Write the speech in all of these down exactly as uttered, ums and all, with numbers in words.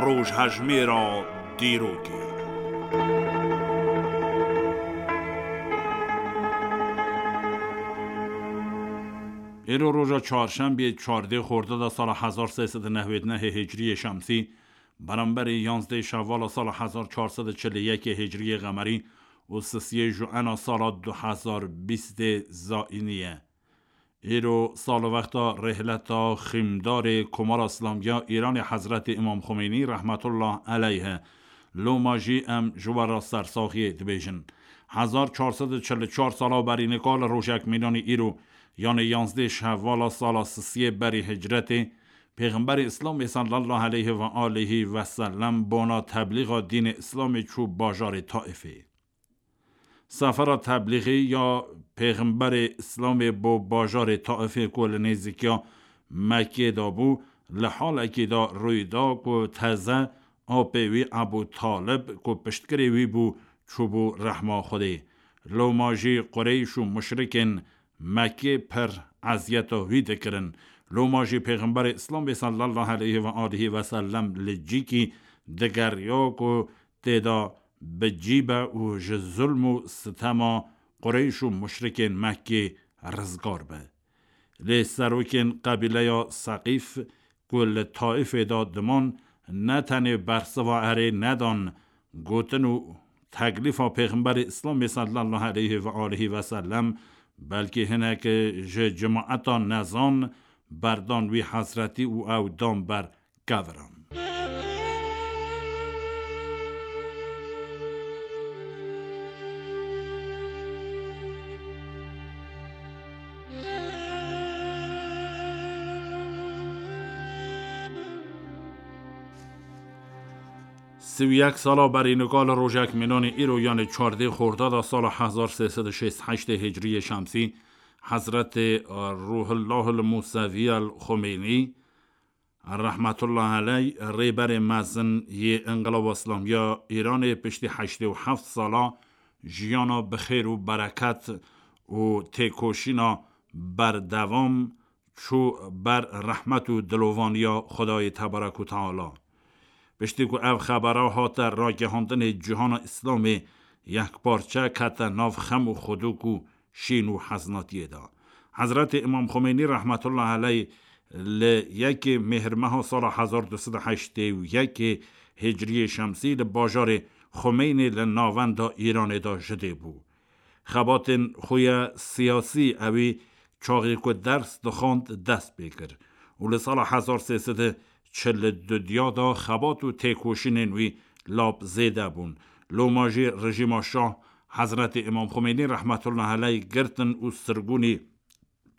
Rojhejmêra dîrokê. Îro roja çarşembiyê, çardê xordada sala hezar sê sed û nehwêd nehê hicriyê şemsî, beramberî yanzdê şevala sala hezar çar sed û çil û yekê hicriyê qemerî û sisiyê juena sala du hezar bîstê zaînî ye. Îro salwexta rêhleta xîmdarê Komara Îslamî ya Îranê Hezretî Îmam Xomênî rehmetullah eleyh e. Loma jî em ji we re sersaxiyê dibêjin. Hezar çar sed û çil û çar sala berî nika li rojek mînanî îro, yanê yanzdê şevala sala sisiyê berî hicretê, Pêxemberê Îslamê sallallahu aleyhi ve aleyhi ve sellem bona teblîxa dînê Îslamê çû bajarê Taifê. Sefera teblîxî ya Pêxemberê Îslamê bo bajarê Taifê ku li nêzîkiya Mekkê de bû, li halekî de rûy da ku teze apê wî Ebû Talib ku piştgirê wî bû, çûbû rehma Xwedê. Loma jî Qureyş û muşrikên Mekkê pir eziyeta wî dikirin. Loma jî Pêxemberê Îslamê sallallahu aleyhi ve aleyhi ve sellem li cîkî digeriya ku tê de bi cî be û ji zulm û sitema Qureyş û muşrikên Mekkê rizgar be. Lê serokên qebîleya Seqîf ku li Taifê de diman, ne tenê bersiva erê nedan gotin û teklîfa Pêxemberê Îslamê sallallahu aleyhi ve aleyhi ve sellem, belkî hinek ji cemaeta nezan berdan wî hezretî û ew dan ber keviran. Sî û yek sala berî nika li rojek mînanê îro, yanê çardê xordada sala hezar sê sed û şêst û heştê hicriyê şemsî, Hezretê Ruhullah el Musevi el Xomênî, rehmetullah eleyh, rêberê mezin yê Înqilaba Îslamî ya Îranê, piştî heştê û heft sala jiyana bi xêr û bereket û têkoşîna berdewam çû ber rehmet û dilovaniya Xwedayê Tebarek û Teala. Piştî ku ev xebera hate ragihandinê cîhana Îslamê, yekparçe kete nav xem û xwedok û şîn û heznatiyê de. Hezretê Îmam Xomênî rehmetullah eleyh li yekê mêhrmeha sala hezar du sed û heştê û yekê hicriyê şemsî li bajarê Xumeynê li navenda Îranê de ji dê bû. Xebatên xwe ya siyasî ewî çaxê ku ders dixwand dest pê kir û li sala hezar sê sed û çil û du diya de xebat û têkoşînên wî lap zêde bûn. Loma jî rejîma şah Hezretê Îmam Xomênî rehmetullah eleyh girtin û sirgûnî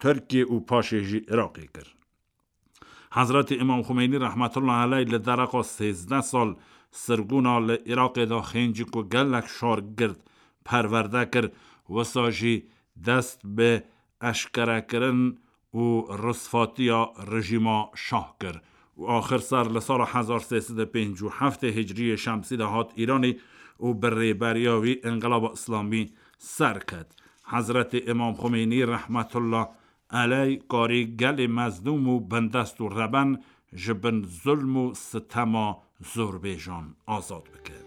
Tirkiyê û paşê jî Iraqê kir. Hezretê Îmam Xomênî rehmetullah eleyh li dereqa sêzdeh sal sirgûna li Iraqê de xêncî ku gelek şar gird perwerde kir, wisa jî dest bi eşkerekirin û risvatiya rejîma şah kir û axir ser li sala hezar sê sed û pêncî û heftê hicriyê şemsî de hat Îranê û bi rêberiya wî Înqilaba Îslamî ser ket. Hezretê Îmam Xomênî rehmetullah eleyh karî gelê mezlûm û bindest û reben ji bin zulm û sitema zorbêjan azad bike.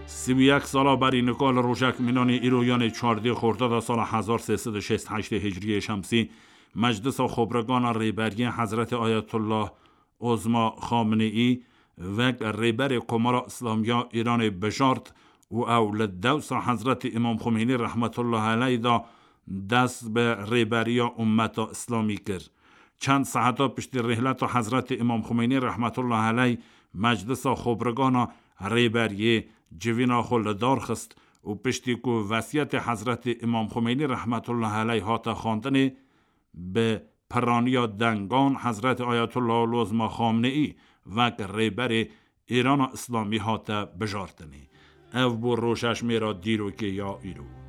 Sî û yek sala berî nika li rojek mînanê îro, yanê çardê xordada sala hezar sê sed û şêst û heştê hicriyê şemsî, Meclisa Xwebirgana Rêberiyê Hezretê Ayetullah Ozma Xameneî wek rêberê Komara Îslamî ya Îranê bijart û ew li dewsa Hezretî Îmam Xomênî rehmetullah eleyh de dest bi rêberiya ummeta Îslamî kir. Çend saeta piştî rêhleta Hezretî Îmam Xomênî rehmetullah eleyh Meclisa Xwebirgana Rêberiyê civîna xwe li dar xist û piştî ku vesiyetê Hezretî Îmam Xomênî rehmetullah eleyh hate xwendinê, bi piraniya dengan Hezretî Ayetullah Lozma Xameneî wek rêberê Îrana Îslamî hate bijartinê. Ev bû rojhejmêra dîrokê ya îro.